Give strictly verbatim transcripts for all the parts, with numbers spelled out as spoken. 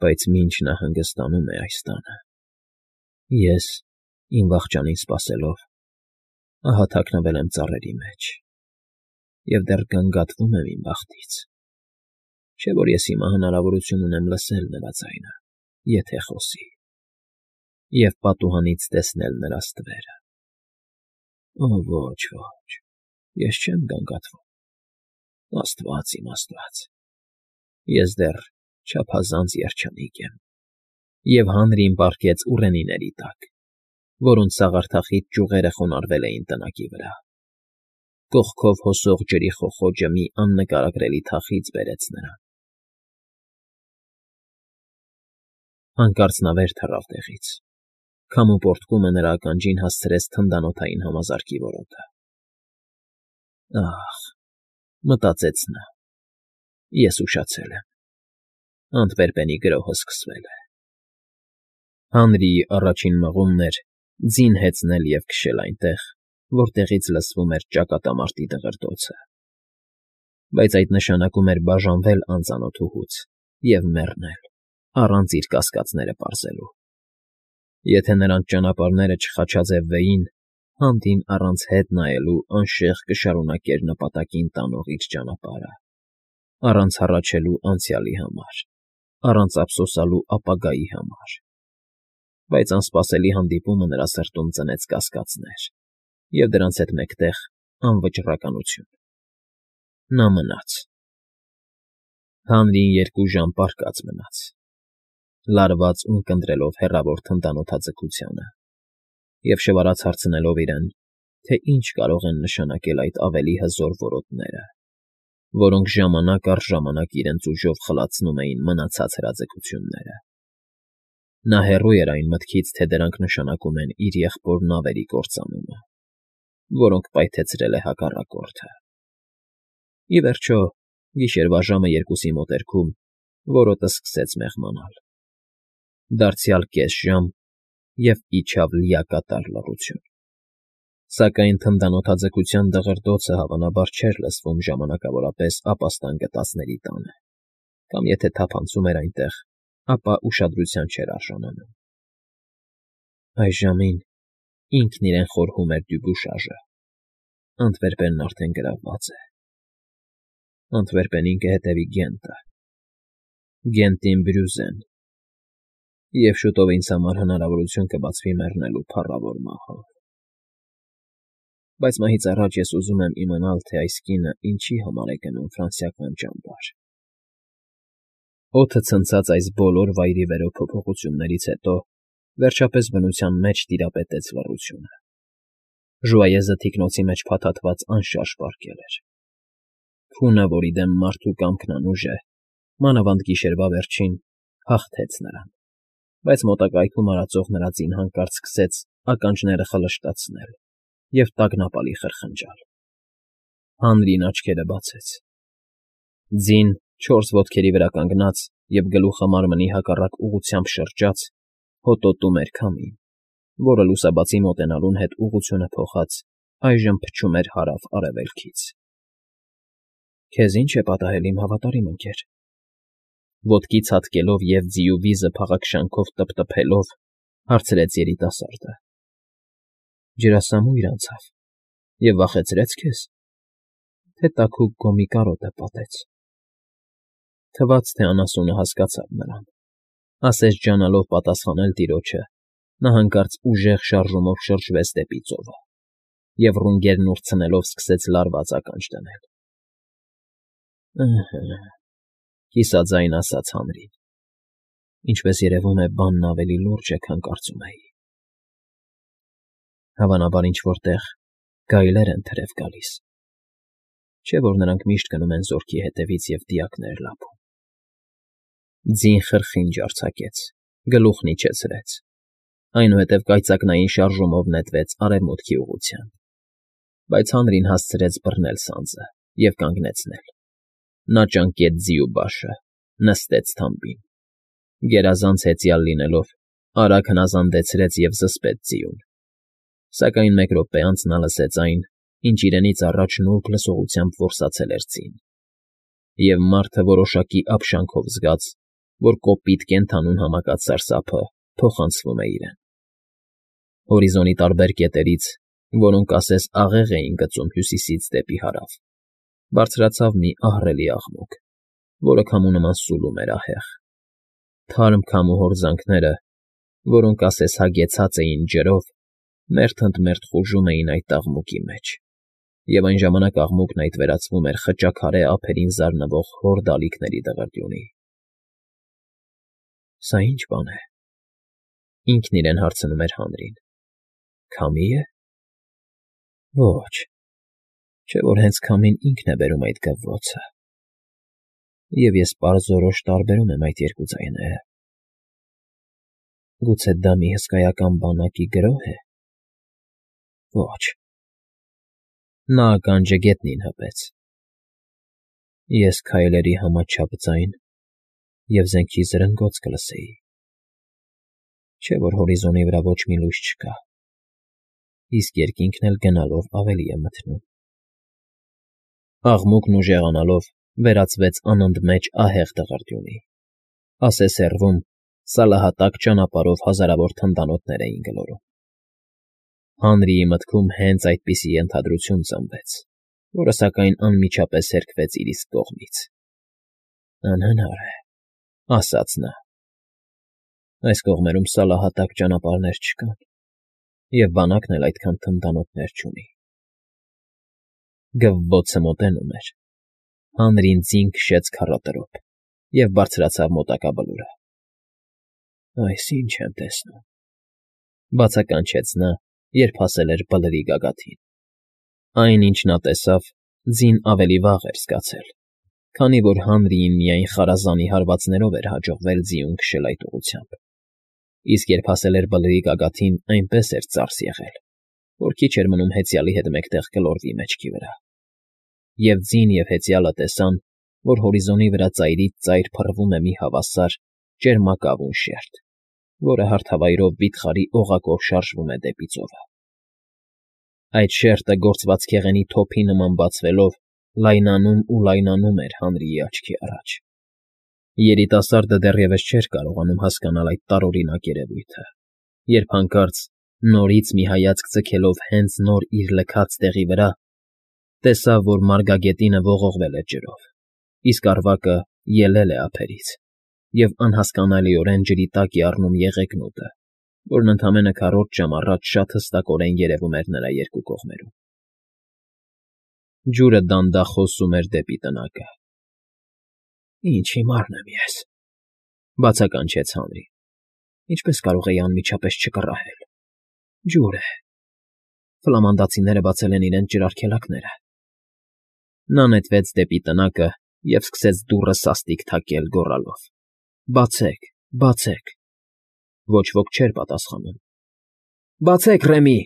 Բայց մինչ նա հանգստանում է այս տանը, ես, իմ վախճանին սպասելով, ահա թաքնվել եմ ծառերի մեջ և դեռ գանգատվում եմ իմ բախտից, չէ՞ որ ես հիմա հնարավորություն ունեմ լսել նրա ձայնը, եթե խոսի, և պատուհանից տեսնել նրա ստվերը… Օ, ոչ, ոչ, ես չեմ գանգատվում, աստված իմ աստված, ես դեռ չափազանց երջանիկ եմ… Եվ հանրին պառկեց ուռենիների տակ, որոնց սաղարթախիտ ճյուղերը խոնարհվել էին տնակի վրա, կողքով հոսող ջրի խոխոջը մի աննկարագրելի թախիծ բերեց նրան… Հանկարծ նա վեր թռավ տեղից, քամու պոռթկումը նրա ականջին հասցրեց թնդանոթային համազարկի որոտը… Ա՜խ, մտածեց նա, ես ուշացել եմ, Անտվերպենի գրոհը սկսվել է… Հանրիի առաջին մղումն էր ձին հեծնել և քշել այնտեղ, որտեղից լսվում էր ճակատամարտի դղրդոցը… Բայց այդ նշանակում էր բաժանվել անծանոթուհուց և մեռնել, առանց իր կասկածները պարզելու… Եթե նրանց ճանապարհները չխաչաձևվեին, Հանդին առանց հետ նայելու անշեղ կշարունակեր նպատակին տանող իր ճանապարհը, առանց հառաչելու անցյալի համար, առանց ափսոսանալու ապագայի համար… Բայց անսպասելի հանդիպումը նրա սրտում ծնեց կասկածներ և դրանց հետ մեկտեղ անվճռականություն… Նա մնաց… Հանրին երկու ժամ պառկած մնաց, լարված ու ունկնդրելով հեռավոր թնդանոթաձգությանը և շվարած հարցնելով իրեն, թե ինչ կարող են նշանակել այդ ավելի հզոր որոտները, որոնք ժամանակ առ ժամանակ իրենց ուժով խլացնում էին մնացած հրաձգությունները… Նա հեռու էր այն մտքից, թե դրանք նշանակում են իր եղբոր նավերի կործանումը, որոնք պայթեցրել է հակառակորդը… Ի վերջո, գիշերվա ժամը երկուսի մոտերքում որոտն սկսեց մեղմանալ… Դարձյալ կես ժամ, և իջավ լիակատար լռություն… Սակայն թնդանոթաձգության դղրդոցը հավանաբար չէր լսվում ժամանակավորապես ապաստան գտածների տանը, կամ եթե թափանցում էր այնտեղ, ապա ուշադրության չէր արժանանում… Այս ժամին ինքն իրեն խորհում էր Դյուբուշաժը, Անտվերպենն արդեն գրավված է… Անտվերպենին կհետևի Գենտը, Գենտին Բրյուզեն, և շուտով ինձ համար հնարավորություն կբացվի մեռնելու փառավոր մահով… Բայց մահից առաջ ես ուզում եմ իմանալ, թե այս կինը ինչի համար է գնում ֆրանսիական ճամբար… Օդը ցնցած այս բոլոր վայրիվերո փոփոխություններից հետո վերջապես բնության մեջ տիրապետեց լռությունը… Ժուայեզը թիկնոցի մեջ փաթաթված անշարժ պառկել էր… Քունը, որի դեմ մարդու կամքն անուժ է, մանավանդ գիշերվա վերջին, հաղթեց նրան, բայց մոտակայքում արածող նրա ձին հանկարծ սկսեց ականջները խլշտացնել և տագնապալի խրխնջալ… Հանրին աչքերը բացեց… Ձին, չորս ոտքերի վրա կանգնած և գլուխը մարմնի հակառակ ուղղությամբ շրջած, հոտոտում էր քամին, որը լուսաբացի մոտենալուն հետ ուղղությունը փոխած, այժմ փչում էր հարավ֊արևելքից… Քեզ ի՞նչ է պատահել, իմ հավատարիմ ընկեր,֊ ոտքի ցատկելով և ձիու վիզը փաղաքշանքով տպտպելով, հարցրեց երիտասարդը։֊ Ջրասամույր անցավ և վախեցրե՞ց քեզ, թե տաքուկ գոմի կարոտը պատեց… Թվաց, թե անասունը հասկացավ նրան, ասես ջանալով պատասխանել տիրոջը, նա հանկարծ ուժեղ շարժումով շրջվեց դեպի ծովը և ռունգերն ուրցնելով սկսեց լարված ականջ դնել… Ըհը՜, կիսաձայն ասաց հանրին, ինչպես երևում է, բանն ավելի լուրջ է, քան կարծում էի… Հավանաբար ինչ֊որ տեղ գայլեր են թրև գալիս, չէ՞ որ նրանք միշտ գնում են զորքի հետևից և դիակներ լափում… Ձին խրխինջ արձակեց, գլուխն իջեցրեց, այնուհետև կայծակնային շարժումով նետվեց արևմուտքի ուղղությամբ… Բայց հանրին հասցրեց բռնել սանձը և կանգնեցնել… Նա ճանկեց ձիու բաշը, նստեց թամբին, գերազանց հեծյալ լինելով, արագ հնազանդեցրեց և զսպեց ձիուն… Սակայն մեկ րոպե անց նա լսեց այն, ինչ իրենից առաջ նուրբ լսողությամբ որսացել էր ձին… Եվ մարդը որոշակի ապշանքով զգաց, որ կոպիտ կենդանուն համակած սարսափը փոխանցվում է իրեն։ Հորիզոնի տարբեր կետերից, որոնք ասես աղեղ էին գծում հյուսիսից դեպի հարավ, բարձրացավ մի ահռելի աղմուկ, որը քամու նման սուլում էր ահեղ։ Թարմ քամու հորձանքները, որոնք ասես հագեցած էին ջրով, մերթ ընդ մերթ խուժում էին այդ աղմուկի մեջ, և այն ժամանակ աղմուկն այդ վերածվում էր խճաքարե ափերին զարնվող հոր դալիքների դղրդյունի։ «Սա ի՞նչ բան է,֊ ինքն իրեն հարցնում էր Հանրին,֊ քամի՞ է… Ոչ, չէ՞ որ հենց քամին ինքն է բերում այդ գվվոցը, և ես պարզորոշ տարբերում եմ այդ երկու ձայները… Գուցե դա մի հսկայական բանակի գրո՞հ է… Ոչ…» Նա ականջը գետնին հպեց։ «Ես քայլերի համաչափ ձայն և զենքի զրնգոց կլսեի… Չէ՞ որ հորիզոնի վրա ոչ մի լույս չկա, իսկ երկինքն էլ գնալով ավելի է մթնում…» Աղմուկն ուժեղանալով վերածվեց անընդմեջ ահեղ դղրդյունի, ասես հեռվում սալահատակ ճանապարհով հազարավոր թնդանոթներ էին գլորում։ Հանրիի մտքում հենց այդպիսի ենթադրություն ծնվեց, որը, սակայն, անմիջապես հերքվեց իր իսկ կողմից։ «Անհնար է,֊ ասաց նա,֊ այս կողմերում սալահատակ ճանապարհներ չկան, և բանակն էլ այդքան թնդանոթներ չունի»։ Գվվոցը մոտենում էր։ Հանրին ձին քշեց քառատրոփ և բարձրացավ մոտակա բլուրը։ «Այս ի՞նչ եմ տեսնում,֊ բացականչեց նա, երբ հասել էր բլրի գագաթին։ Այն, ինչ նա տեսավ, ձին ավելի վաղ էր զգացել, քանի որ Հանրիին միայն խարազանի հարվածներով էր հաջողվել ձիուն քշել այդ ուղղությամբ, իսկ երբ հասել էր բլրի գագաթին, այնպես էր ծարս եղել, որ քիչ էր մնում հեծյալի հետ մեկտեղ գլորվի մեջքի վրա։ Եվ ձին և հեծյալը տեսան, որ հորիզոնի վրա ծայրից ծայր փռվում է մի հավասար, ճերմակավուն շերտ, որը հարթավայրով վիթխարի օղակով շարժվում է դեպի ծովը։ Այդ շերտը գործվածքեղենի թոփի նման բացվելով լայնանում ու լայնանում էր Հանրիի աչքի առաջ։ Երիտասարդը դեռևս չէր կարողանում հասկանալ այդ տարօրինակ երևույթը, երբ հանկարծ, նորից մի հայացք ձգելով հենց նոր իր լքած տեղի վրա, տեսավ, որ մարգագետինը ողողվել է ջրով, իսկ առվակը ելել է ափերից, և անհասկանալիորեն ջրի տակ է առնում եղեգնուտը, որն ընդամենը քառորդ ժամ առաջ շատ հստակորեն երևում էր նրա երկու կողմերում։ Ջուրը դանդաղ հոսում էր դեպի տնակը։ «Ինչ հիմարն եմ ես,֊ բացականչեց Հանրին,֊ ինչպես կարող էի անմիջապես չկռահել… Ջուր է… Ֆլամանդացիները բացել են իրենց ջրարգելակները…» Նա նետվեց դեպի տնակը և սկսեց դուռը սաստիկ թակել, գոռալով. «Բացեք, բացեք…» Ոչ ոք չէր պատասխանում։ «Բացեք, Ռեմի…֊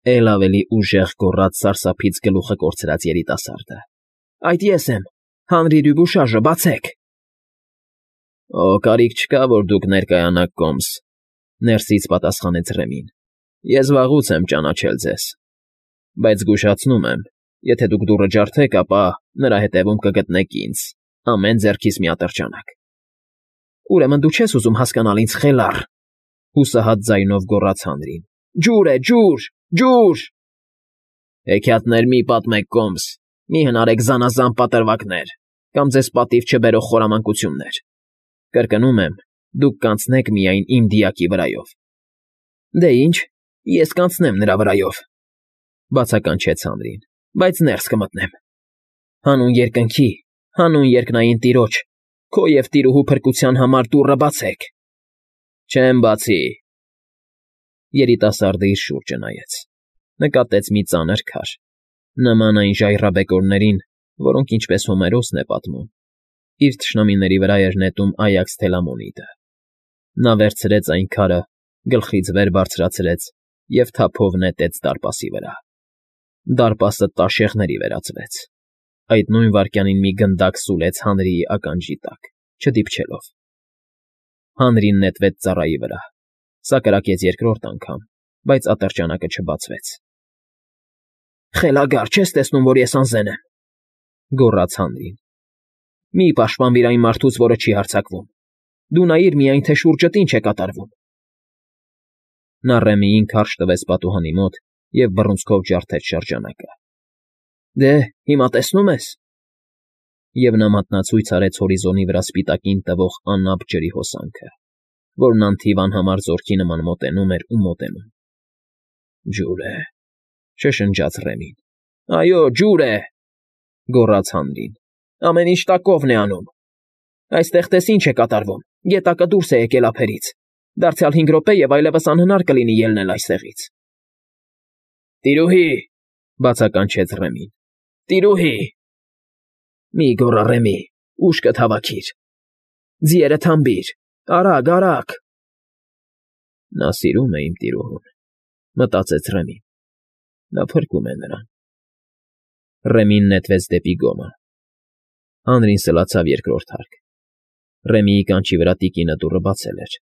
էլ ավելի ուժեղ գոռաց սարսափից գլուխը կորցրած երիտասարդը։֊ Այդ ես եմ… Հանրի Դյուբուշաժը… Բացեք…» «Օ, կարիք չկա, որ դուք ներկայանաք կոմս,֊ ներսից պատասխանեց Ռեմին։֊ Ես վաղուց եմ ճանաչել ձեզ… Բայց զգուշացնում եմ, եթե դուք դուռը ջարդեք, ապա նրա հետևում կգտնեք ինձ, ամեն ձեռքից մի ատրճանակ…»։ «Ուրեմն դու չես ուզում հասկանալ ինձ, խելառ…֊ հուսահատ ձայնով գոռաց Հանրին։֊ Ջուր է… Ջուր… Ջուր…»։ «Հեքիաթներ մի՛ պատմեք, կոմս, մի՛ հնարեք զանազան պատրվակներ կամ ձեզ պատիվ չբերող խորամանկություններ… Կրկնում եմ, դուք կանցնեք միայն իմ դիակի վրայով…»։ «Դե ինչ, ես կանցնեմ նրա վրայով,֊ բացականչեց Հանրին,֊ բայց ներս կմտնեմ… Հանուն երկնքի, հանուն երկնային տիրոջ, քո և տիրուհու փրկության համար դուռը բացեք…»։ «Չեմ բացի…»։ Երիտասարդը իր շուրջը նայեց, նկատեց մի ծանր քար, նման այն ժայռաբեկորներին, որոնք, ինչպես Հոմերոսն է պատմում, իր թշնամիների վրա էր նետում Այաքս Թելամոնիդը։ Նա վերցրեց այն քարը, գլխից վեր բարձրացրեց և թափով նետեց դարպասի վրա։ Դարպասը տաշեղների վերածվեց։ Այդ նույն վայրկյանին մի գնդակ սուլեց Հանրիի ականջի տակ, չդիպչելով։ Հանրին նետվեց ծառայի վրա, սա կրակեց երկրորդ անգամ, բայց ատրճանակը չբացվեց։ «Խելագար, չես տեսնում, որ ես անզեն եմ,֊ գոռաց Հանրին։֊ Մի՛ պաշտպանվիր այն մարդուց, որը չի հարձակվում… Դու նայիր միայն, թե շուրջդ ինչ է կատարվում։ Նա Ռեմիին քարշ տվեց պատուհանի մոտ և բռունցքով ջարդեց շրջանակը։ Դե, հիմա տեսնո՞ւմ ես։ Եվ նա մատնացույց արեց հորիզոնի վրա սպիտակին տվող անապ ջրի հոսանքը, որն անթիվ անհամար զորքի նման մոտենում էր ու մոտենում։ Ջուր է,֊ շշնջաց Ռեմին։ Այո, ջուր է,֊ գոռաց Հանրին։ Ամեն ինչ տակովն է անում։ Այստեղ տես ինչ է կատարվում, գետակը դուրս է եկել ափերից, դարձյալ հինգ րոպե և այլևս անհնար կլինի ելնել այստեղից։ Տիրուհի,֊ բացականչեց Ռեմին,֊ տիրուհի… Մի գոռա, Ռեմի, ուշքդ հավաքիր… Ձիերը թամբիր, արագ, արագ… Նա սիրում է իմ տիրուհուն,֊ մտածեց Ռեմին։ Նա փրկում է նրան։ Ռեմին նետվեց դեպի գոմը։ Հանրին սլացավ երկրորդ հարկ։ Ռեմիի կանչի վրա տիկինը դուռը բացել էր։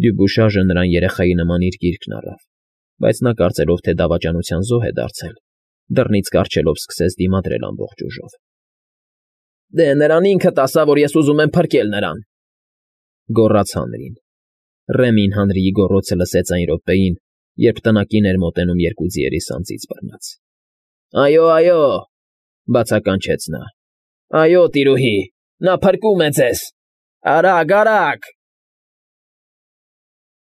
Դյուբուշաժը նրան երեխայի նման իր գիրկն առավ, բայց նա, կարծելով, թե դավաճանության զոհ է դարձել, դռնից կառչելով սկսեց դիմադրել ամբողջ ուժով։ Դե նրան ինքդ ասա, որ ես ուզում եմ փրկել նրան,֊ գոռաց Հանրին։ Ռեմին Հանրիի գոռոցը լսեց այն րոպեին, երբ տնակին էր մոտենում երկու ձիերի սանձից բռնած։ Այո, այո,֊ բացականչեց նա։ Այո, տիրուհի, նա փրկում է ձեզ… Արագ, արագ…